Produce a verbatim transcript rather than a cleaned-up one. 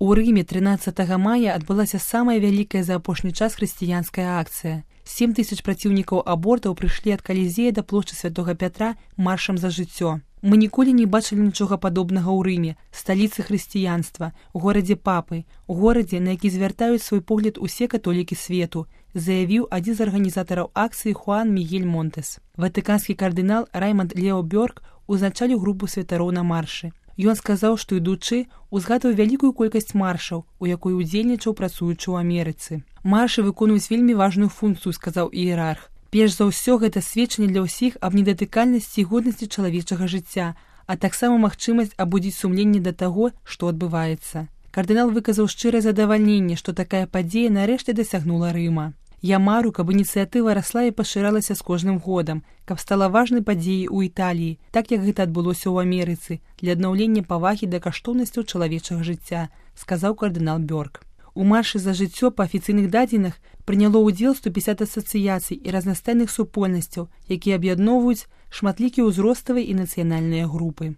У Рыме трынаццатага мая адбылася самая вялікая за апошні час хрысціянская акцыя. Сем тысяч праціўнікаў абортаў прыйшлі ад Калізея да плошчы Святога Пятра маршам за жыццё. Мы ніколі не бачылі нічога падобнага ў Рыме, сталіцы хрысціянства, горадзе папы, горадзе, на які звяртаюць свой погляд усе католікі свету, заявіў адзін з арганізатараў акцыі Хуан Мігель Монтес. Ватыканскі кардынал Раймонд Лео Бёрк узначаліў групу святароў на маршы. Ён сказаў, што ідучы, узгадаў вялікую колькасць маршаў, у якой удзельнічаў працуючы ў Амерыцы. Маршы выконваюць вельмі важную функцыю, сказаў іерарх. Перш за ўсё, гэта сведчанне для ўсіх аб недатыкальнасці і годнасці чалавечага жыцця, а таксама магчымасць абудзіць сумленне да таго, што адбываецца. Кардынал выказаў шчырае задавальненне, што такая падзея нарэшце дасягнула Рыма. Я мару, каб ініцыятыва расла і пашыралася з кожным годам, каб стала важнай падзеяй у Італіі, так як гэта адбылося ў Амерыцы, для аднаўлення павагі да каштоўнасцяў чалавечага жыцця, сказаў кардынал Бёрк. У маршы за жыццё па афіцыйных дадзеных прыняло ўдзел сто пятьдесят асацыяцый і разнастайных супольнасцяў, якія аб'ядноўваюць шматлікія ўзроставыя і нацыянальныя групы.